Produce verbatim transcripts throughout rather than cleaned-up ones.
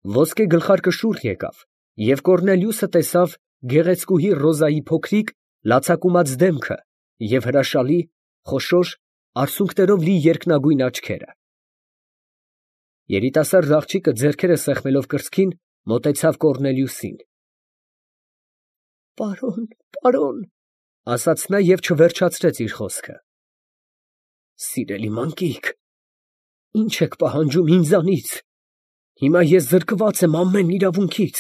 Ոսկե գլխարկը շուռ եկավ, և Կոռնելիուսը տեսավ գեղեցկուհի Ռոզայի փոքրիկ, լացակումած դեմքը և հրաշալի, խոշոր, արցունքներով լի երկնագույն աչքերը։ Երիտասարդ աղջիկը ձեռքերը սեղմելով կրծքին, մոտեցավ Կոռնելիուսին։ «Պարոն, պարոն», ֊ ասաց նա և չվերջացրեց իր խոսքը։ «Սիրելի մանկիկ, ի՞նչ եք պահանջում ինձանից. հիմա ես զրկված եմ ամեն իրավունքից,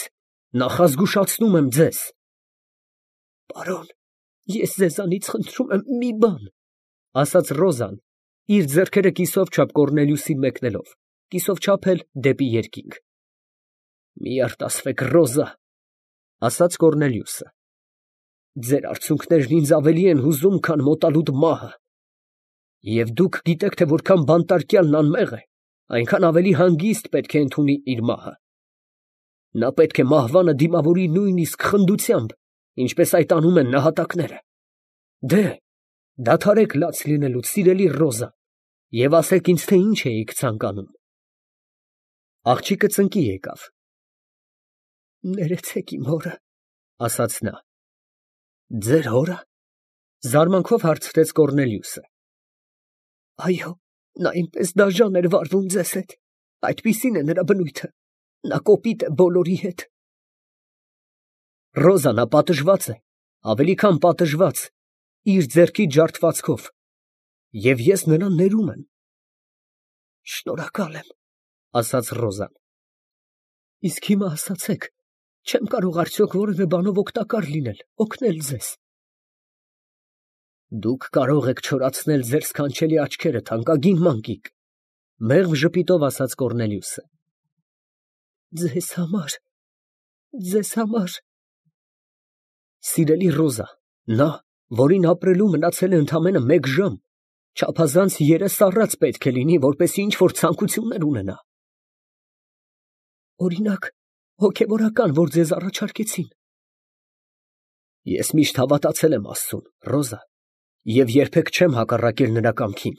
նախազգուշացնում եմ ձեզ»։ «Պարոն, ես ձեզանից խնդրում եմ մի բան», ֊ ասաց Ռոզան, իր ձեռքերը կիսով չափ Կոռնելիուսին մեկնելով, կիսով չափ էլ դեպի երկինք։ «Մի արտասվեք, Ռոզա», ֊ ասաց Կոռնելիուսը։ «Ձեր արցունքներն ինձ ավելի են հուզում, քան մոտալուտ մահը, և դուք գիտեք, թե որքան բանտարկյալն անմեղ է, այնքան ավելի հանգիստ պետք է ընդունի իր մահը։ Նա պետք է մահվանը դիմավորի նույնիսկ խնդությամբ, ինչպես այդ անում են նահատակները։ Դե՛հ, դադարեք լաց լինելուց, սիրելի Ռոզա, և ասեք ինձ, թե ինչ էիք ցանկանում»։ Աղջիկը ծնկի եկավ։ «Ներեցեք իմ հորը», ֊ ասաց նա։ «Ձեր հո՞րը», ֊ զարմանքով հարցրեց Կոռնելիուսը։ «Այո, նա այնպես դաժան էր վարվում ձեզ հետ, այդպիսին է նրա բնույթը, նա կոպիտ է բոլորի հետ»։ Ռոզան ապատժված է, ավելի քան պատժված, իր ձեռքի ջարդվածքով, և ես նրան ներում եմ։ «Շնորհակալ եմ», ֊ ասաց Ռոզան։ «Իսկ հիմա ասացեք, չեմ կարող արդյոք որևէ բանով օգտակար լինել, օգնել ձեզ»։ «Դուք կարող եք չորացնել ձեր սքանչելի աչքերը, թանկագին մանկիկ», ֊ մեղմ ժպիտով ասաց Կոռնելիուսը։ «Ձեզ համար, ձեզ համար»։ Սիրելի Ռոզա, նա, որին ապրելու մնացել է ընդամենը մեկ ժամ, չափազանց երես առած պետք է լինի, որպեսզի ինչ֊որ ցանկություններ ունենա։ «Օրինակ, հոգևորական, որ ձեզ առաջարկեցին»։ «Ես միշտ հավատացել եմ Աստծուն, Ռոզա, և երբեք չեմ հակառակել նրա կամքին։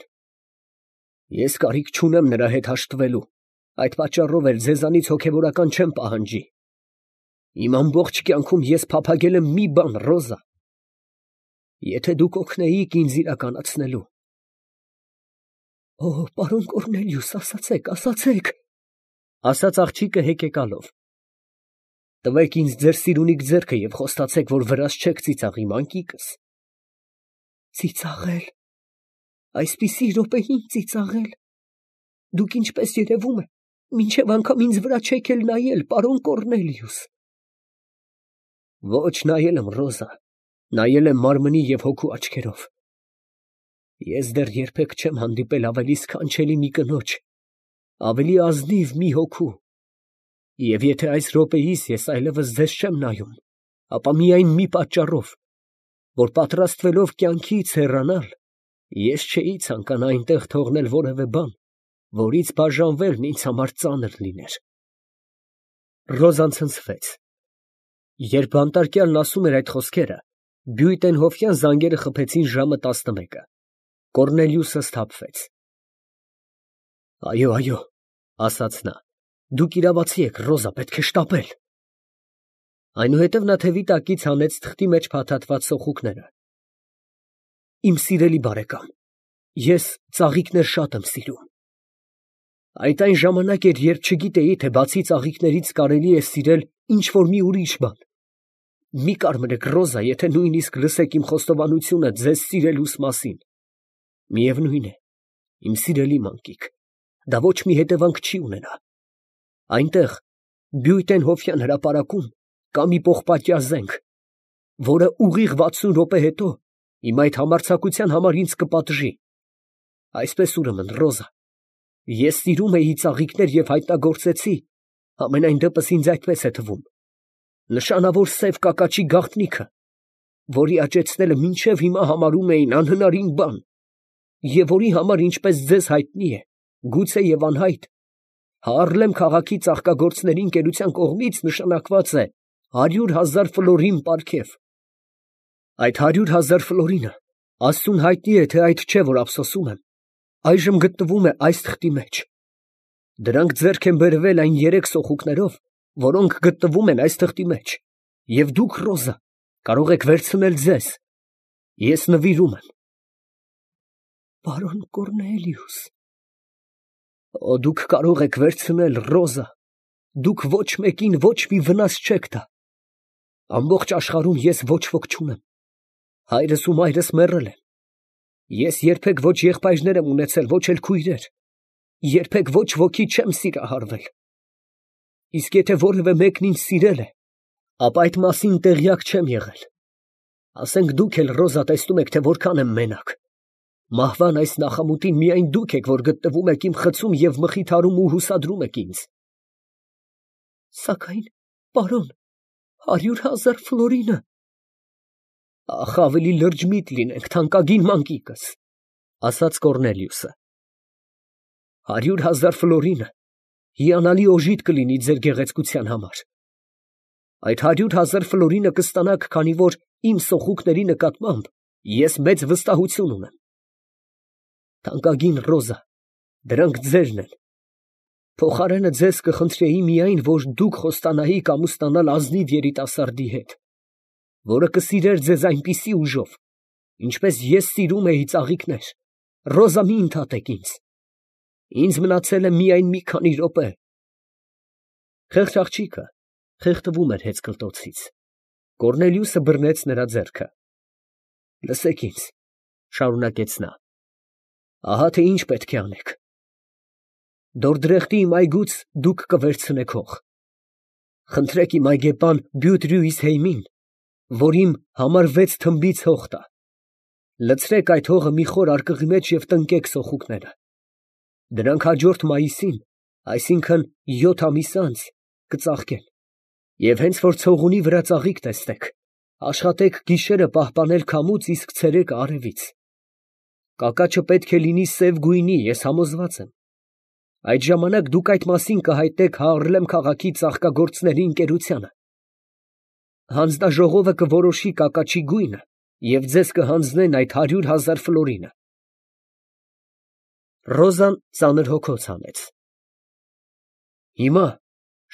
Ես կարիք չունեմ նրա հետ հաշտվելու, այդ պատճառով էլ ձեզանից հոգևորական չեմ պահանջի։ Իմ ամբողջ կյանքում ես փափագել եմ մի բան, Ռոզա. եթե դուք օգնեիք ինձ իրականացնելու»։ «Օ, պարոն Կոռնելիուս, ասացեք, ասացեք», ֊ ասաց աղջիկը հեկեկալով։ «Տվեք ինձ ձեր սիրունիկ ձեռքը և խոստացեք, որ վրաս չեք ծիծաղի, մանկիկս»։ «Ծիծաղել, այսպիսի րոպեին ծիծաղել, դուք, ինչպես երևում է, մինչև անգամ ինձ վրա չեք էլ նայել, պարոն Կոռնելիուս»։ «Ոչ նայել եմ, Ռոզա, նայել եմ մարմնի և հոգու աչքերով։ Ես դեռ երբեք չեմ հանդիպել ավելի սքանչելի մի կնոջ, ավելի ազնիվ մի հոգու, և եթե այս րոպեիս ես այլևս ձեզ չեմ նայում, ապա միայն մի պատճառով, որ պատրաստվելով կյանքից հեռանալ, ես չէի ցանկանա այնտեղ թողնել որևէ բան, որից բաժանվելն ինձ համար ծանր լիներ»։ Ռոզան ցնցվեց։ Երբ բանտարկյալն ասում էր այդ խոսքերը, բյուտենհոֆյան զանգերը խփեցին ժամը տասնմեկը։ Կոռնելիուսը սթափվեց։ «Այո, այո», ֊ ասաց նա, «դուք իրավացի եք, Ռոզա, պետք է շտապել»։ Այնուհետև նա թևի տակից հանեց թղթի մեջ փաթաթված սոխուկները։ «Իմ սիրելի բարեկամ, ես ծաղիկներ շատ եմ սիրում։ Այդ այն ժամանակ էր, երբ չգիտեի, թե բացի ծաղիկներից կարելի է սիրել ինչ֊որ մի ուրիշ բան։ Մի կարմրեք, Ռոզա, եթե նույնիսկ լսեք իմ խոստովանությունը ձեզ սիրելուս մասին։ Միևնույն է, իմ սիրելի մանկիկ, դա ոչ մի հետևանք չի ունենա։ Այնտեղ, Բյուտենհոֆյան հրապարակում, կա մի պողպատյա զենք, որը ուղիղ վաթսուն րոպե հետո իմ այդ համարձակության համար ինձ կպատժի։ Այսպես ուրեմն, Ռոզա, ես սիրում էի ծաղիկներ և հայտնագործեցի, համենայն դեպս ինձ այդպես է թվում, նշանավոր սև կակաչի գաղտնիքը, որի աճեցնելը մինչև հիմա համարում էին անհնարին բան, և որի համար, ինչպես ձեզ հայտնի է, գուցեև անհայտ, Հաառլեմ քաղաքի ծաղկագործների ընկերության կողմից նշանակված է հարյուր հազար ֆլորին պարգև։ Այդ հարյուր հազար ֆլորինը, Աստծուն հայտնի է, թե այդ չէ, որ ափսոսում եմ, այժմ գտնվում է այս թղթի մեջ։ Դրանք ձեռք են բերվել այն երեք սոխուկներով, որոնք գտնվում են այս թղթի մեջ, և դուք, Ռոզա, կարող եք վերցնել ձեզ. ես նվիրում եմ։ Պարոն Կոռնելիուս… Օ, դուք կարող եք վերցնել, Ռոզա, դուք ոչ մեկին ոչ մի վնաս չեք տա։ Ամբողջ աշխարհում ես ոչ ոք չունեմ, հայրս ու մայրս մեռել են, ես երբեք ոչ եղբայրներ եմ ունեցել, ոչ էլ քույրեր, երբեք ոչ ոքի չեմ սիրահարվել, իսկ եթե որևէ մեկն ինձ սիրել է, ապա այդ մասին տեղյակ չեմ եղել։ Ասենք դուք էլ, Ռոզա, տեսնում եք, թե որքան եմ մենակ, մահվան այս նախամուտին միայն դուք եք, որ գտնվում եք իմ խցում և մխիթարում ու հուսադրում եք ինձ։ Սակայն, պարոն, հարյուր հազար ֆլորինը… Ախ, ավելի լրջմիտ լինենք, թանկագին մանկիկս, ասաց Կոռնելիուսը։ Հարյուր հազար ֆլորինը հիանալի օժիտ կլինի ձեր գեղեցկության համար։ Այդ հարյուր հազար ֆլորինը կստանաք, քանի որ իմ սոխուկների նկատմամբ ես մեծ վստահություն ունեմ։ Թանկագին Ռոզա, դրանք ձերն են։ Փոխարենը ձեզ կխնդրեի միայն, որ դուք խոստանայիք ամուսնանալ ազնիվ երիտասարդի հետ, որը կսիրեր ձեզ այնպիսի ուժով, ինչպես ես սիրում էի ծաղիկներ։ Ռոզա, մի ընդհատեք ինձ, ինձ մնացել է միայն մի քանի րոպե։ Խեղճ աղջիկը խեղդվում էր հեծկլտոցից։ Կոռնելիուսը բռնեց նրա ձեռքը։ Լսեք ինձ, շարունակեց նա, ահա թե ինչ պետք է անեք։ Դորդրեխտի իմ այգուց դուք կվերցնեք հող։ Խնդրեք իմ այգեպան Բյուտրյուիսհեյմին, որ իմ համար վեց թմբից հող տա։ Լցրեք այդ հողը մի խոր արկղի մեջ և տնկեք սոխուկները։ Դրանք հաջորդ մայիսին, այսինքն յոթ ամիս անց, կծաղկեն, և հենց որ ցողունի վրա ծաղիկ տեսնեք, աշխատեք գիշերը պահպանել քամուց, իսկ ցերեկը արևից։ Կակաչը պետք է լինի սև գույնի, ես համոզված եմ։ Այդ ժամանակ դուք այդ մասին կհայտնեք Հաառլեմ քաղաքի ծաղկագործների ընկերությանը։ Հանձնաժողովը կորոշի կակաչի գույնը և ձեզ կհանձնեն այդ հարյուր հազար ֆլորինը։ Ռոզան ծանր հոգոց հանեց։ Հիմա,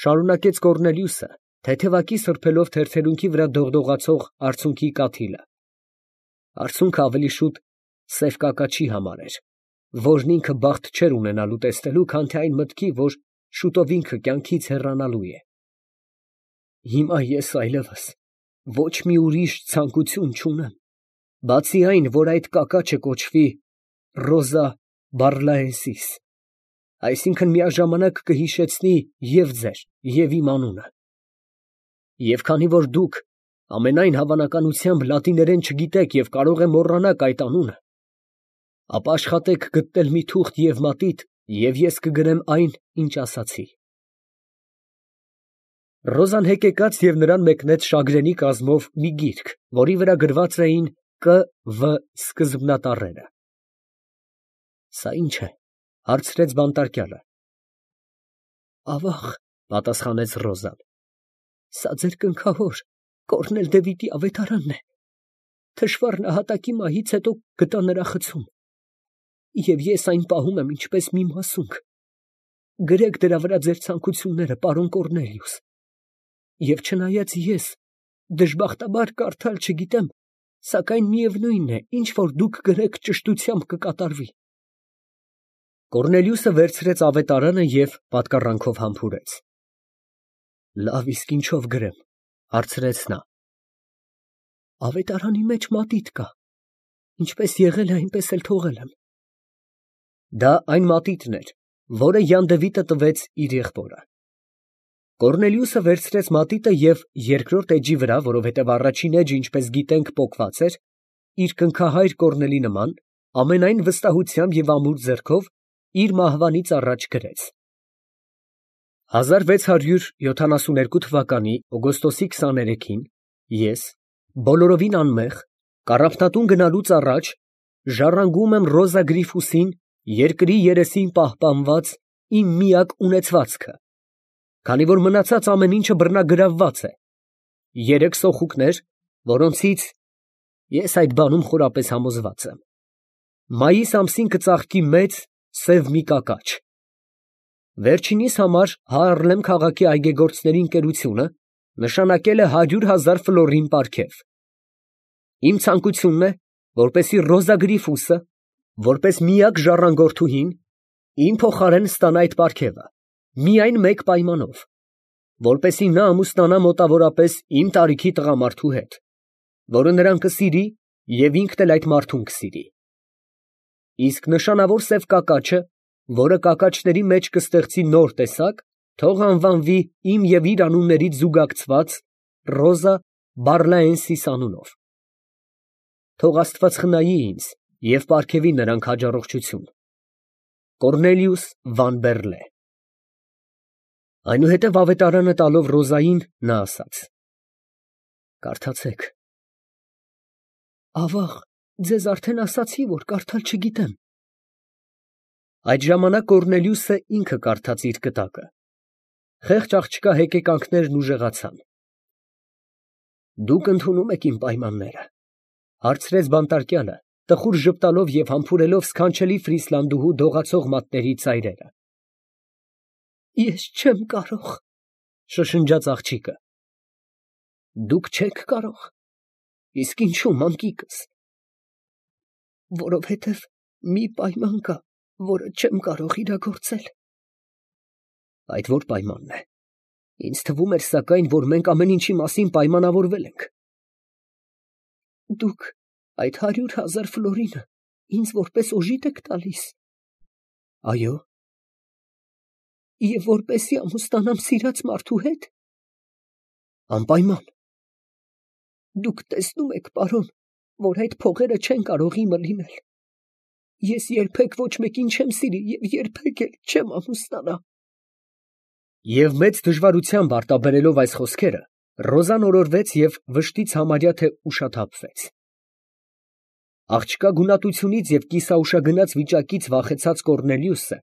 շարունակեց Կոռնելիուսը, թեթևակի սրբելով թերթերունքի վրա դողդողացող արցունքի կաթիլը, արցունքը ավելի շուտ սև կակաչի համար էր, որն ինքը բախտ չէր ունենալու տեսնելու, քան թե այն մտքի, որ շուտով ինքը կյանքից հեռանալու է։ Հիմա ես այլևս ոչ մի ուրիշ ցանկություն չունեմ, բացի այն, որ այդ կակաչը կոչվի Ռոզա Բարլայեսիս, այսինքն միաժամանակ կհիշեցնի և ձեր, և իմ անունը։ Եվ քանի որ դուք ամենայն հավանականությամբ լատիներեն չգիտեք և կարող է մոռանաք այդ անունը, ապա աշխատեք գտնել մի թուղթ և մատիտ, և ես կգրեմ այն, ինչ ասացի։ Ռոզան հեկեկաց և նրան մեկնեց շագրենի կազմով մի գիրք, որի վրա գրված էին Կ. Վ. սկզբնատառերը։ Սա ի՞նչ է, հարցրեց բանտարկյալը։ Ավաղ, պատասխանեց Ռոզան, սա ձեր կնքահոր Կոռնել Դևիդի ավետարանն է։ Թշվառ նահատակի մահից հետո գտա նրա խցում, և ես այն պահում եմ ինչպես մի մասունք։ Գրեք դրա վրա ձեր ցանկությունները, պարոն Կոռնելիուս, և չնայած ես դժբախտաբար կարդալ չգիտեմ, սակայն միևնույն է, ինչ որ դուք գրեք ճշտությամբ կկատարվի։ Կոռնելիուսը վերցրեց ավետարանը և պատկառանքով համբուրեց։ Լավ, իսկ ինչով գրեմ, հարցրեց նա։ Ավետարանի մեջ մատիտ կա, ինչպես եղել է, այնպես էլ թողել եմ։ Դա այն մատիտն էր, որը Յանդևիտը տվեց իր եղբորը։ Կոռնելիուսը վերցրեց մատիտը և երկրորդ էջի վրա, որովհետև առաջին էջը, ինչպես գիտենք, պոկված էր, իր կնքահայր Կոռնելի նման, ամենայն վստահությամբ և ամուր ձեռքով իր մահվանից առաջ գրեց. հազար վեց հարյուր յոթանասունութ թվականի օգոստոսի քսաներեքին ես, բոլորովին անմեղ, կառափնատուն գնալուց առաջ, ժառանգում եմ Ռոզա Գրիֆուսին երկրի երեսին պահպանված իմ միակ ունեցվածքը, քանի որ մնացած ամեն ինչը բռնագրավված է, երեք սոխուկներ, որոնցից ես այդ բանում խորապես համոզված եմ, մայիս ամսին կծաղկի մեծ սև մի կակաչ։ Վերջինիս համար Հայարլեմ քաղաքի այգեգործների ընկերությունը նշանակել է հարյուր հազար ֆլորին պարգև։ Իմ ցանկությունն է, որպեսզի Ռոզա Գրիֆուսը, որպես միակ ժառանգորդուհին, իմ փոխարեն ստանա այդ պարգևը, միայն մեկ պայմանով, որպեսզի նա ամուսնանա մոտավորապես իմ տարիքի տղամարդու հետ, որը նրան կսիրի և ինքն էլ այդ մարդուն կսիրի։ Իսկ նշանավոր սև կակաչը, որը կակաչների մեջ կստեղծի նոր տեսակ, թող անվանվի իմ և իր անուններից զուգակցված Ռոզա Բարլաենսիս անունով։ Թող Աստված խնայի ինձ և պարգևի նրանք հաջառողջություն։ Կոռնելիուս Վան Բեռլե։ Այնուհետև ավետարանը տալով Ռոզային, նա ասաց. «Կարդացեք»։ Ավաղ, ձեզ արդեն ասացի, որ կարդալ չգիտեմ։ Այդ ժամանակ Կոռնելիուսը ինքը կարդաց իր կտակը։ Խեղճ աղջկա հեկեկանքներն ուժեղացան։ «Դուք ընդունում եք իմ պայմանները, ֊ հարցրեց բանտարկյալը, տխուր ժպտալով և համբուրելով սքանչելի ֆրիսլանդուհու դողացող մատների ծայրերը։ ֊ Ես չեմ կարող, ֊ շշնջաց աղջիկը։ ֊ Դուք չեք կարող, իսկ ինչո՞ւ, մանկիկս։ ֊ Որովհետև մի պայման կա, որը չեմ կարող իրագործել։ ֊ Այդ ո՞ր պայմանն է. ինձ թվում էր սակայն, որ մենք ամեն ինչի մասին պայմանավորվել ենք։ ֊ Դուք այդ հարյուր հազար ֆլորինը ինձ որպես օժիտ եք տալիս։ ֊ Այո։ ֊ Եվ որպեսզի ամուսնանամ սիրած մարդու հետ։ ֊ Անպայման։ ֊ Դուք տեսնում եք, պարոն, որ այդ փողերը չեն կարող իմը լինել. ես երբեք ոչ մեկին չեմ սիրի և երբեք էլ չեմ ամուսնանա։ Եվ մեծ դժվարությամբ արտաբերելով այս խոսքերը, Ռոզան օրորվեց և վշտից համարյա թե ուշաթափվեց։ Աղջկա գունատությունից և կիսաուշագնաց վիճակից վախեցած Կոռնելիուսը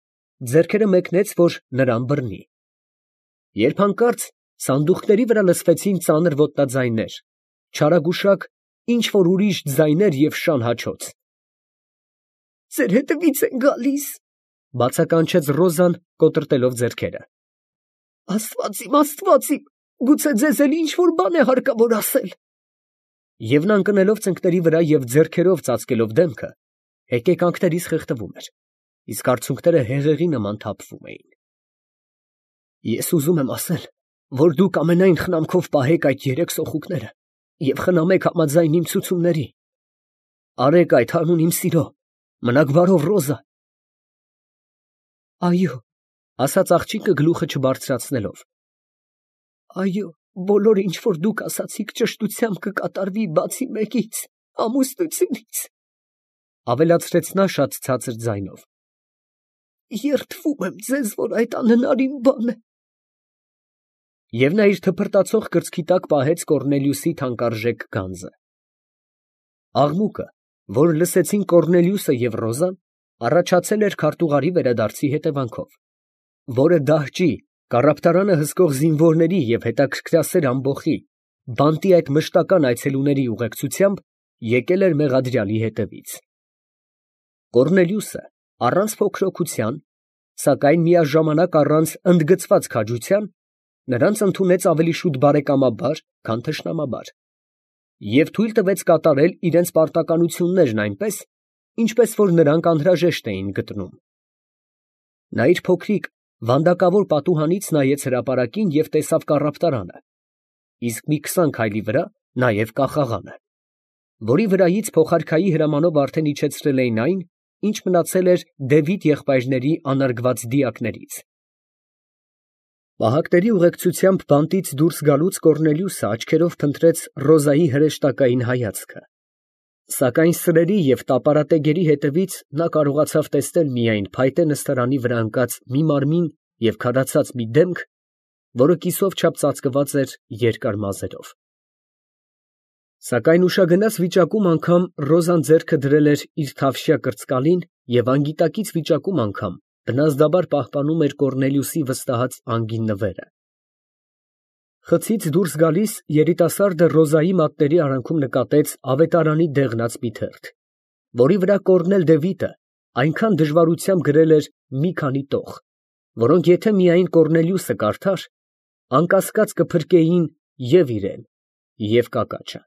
ձեռքերը մեկնեց, որ նրան բռնի։ Երբ հանկարծ սանդուղքների վրա լսվեցին ծանր ոտնաձայներ, չարագուշակ ինչ որ ուրիշ ձայներ և շան հաչոց։ «Ձեր հետևից են գալիս», ֊ բացականչեց Ռոզան, կոտրտելով ձեռքերը։ ֊ Աստված իմ, Աստված իմ, գուցե ձեզ էլ ինչ որ բան է հարկավոր ասել։ Եվ նա ընկնելով ծնկների վրա և ձեռքերով ծածկելով դեմքը, հեկեկանքներից խեղդվում էր, իսկ արցունքները հեղեղի նման թափվում էին։ Ես ուզում եմ ասել, որ դուք ամենայն խնամքով պահեք այդ երեք սոխուկները և խնամեք համաձայն իմ ցուցումների։ Արեք այդ հանուն իմ սիրո, մնաք բարով, Ռոզա։ Այո, ֊ ասաց աղջիկը գլուխը չբարձրացնելով։ Այո, բոլորը, ինչ որ դուք ասացիք, ճշտությամբ կկատարվի, բացի մեկից, ամուսնությունից, ֊ ավելացրեց նա շատ ցածր ձայնով։ Երդվում եմ ձեզ, որ այդ անհնարին բան է։ Եվ նա իր թփրտացող կրծքի տակ պահեց Կոռնելիուսի թանկարժեք գանձը։ Աղմուկը, որ լսեցին Կոռնելիուսը և Ռոզան, առաջացել էր քարտուղարի վերադարձի հետևանքով, որը դահճի, կառապտարանը հսկող զինվորների և հետաքրքրասեր ամբոխի, բանտի այդ մշտական այցելուների ուղեկցությամբ եկել էր մեղադրյալի հետևից։ Կոռնելիուսը առանց փոքրօգուտյան, սակայն միաժամանակ առանց ընդգծված քաջության, նրանց ընդունեց ավելի շուտ բարեկամաբար, քան թշնամաբար, և թույլ տվեց կատարել իրենց պարտականություններն այնպես, ինչպես որ նրանք անհրաժեշտ էին գտնում։ Նա իր փոքրիկ վանդակավոր պատուհանից նայեց հրապարակին և տեսավ կառապտարանը, իսկ մի քսան քայլի վրա նաև կախաղանը, որի վրայից փոխարքայի հրամանով արդեն իջեցրել էին այն, ինչ մնացել էր Դևիթ եղբայրների անարգված դիակներից։ Պահակների ուղեկցությամբ բանտից դուրս գալուց Կոռնելիուսը աչքերով փնտրեց Ռոզայի հրեշտակային հայացքը, սակայն սրերի և տապարատեգերի հետևից նա կարողացավ տեսնել միայն փայտե նստարանի վրա ընկած մի մարմին և քարացած մի դեմք, որը կիսով չափ ծածկված էր երկար մազերով։ Սակայն ուշագնաց վիճակում անգամ Ռոզան ձեռքը դրել էր իր թավշյա կրծկալին և անգիտակից վիճակում անգամ բնազդաբար պահպանում էր Կոռնելիուսի վստահած անգին նվերը։ Խցից դուրս գալիս երիտասարդը Ռոզայի մատների արանքում նկատեց ավետարանի դեղնած մի թերթ, որի վրա Կոռնել Դևիթը այնքան դժվարությամբ գրել էր մի քանի տող, որոնք եթե միայն Կոռնելիուսը կարդար, անկասկած կփրկեին և իրան, և կակաչը։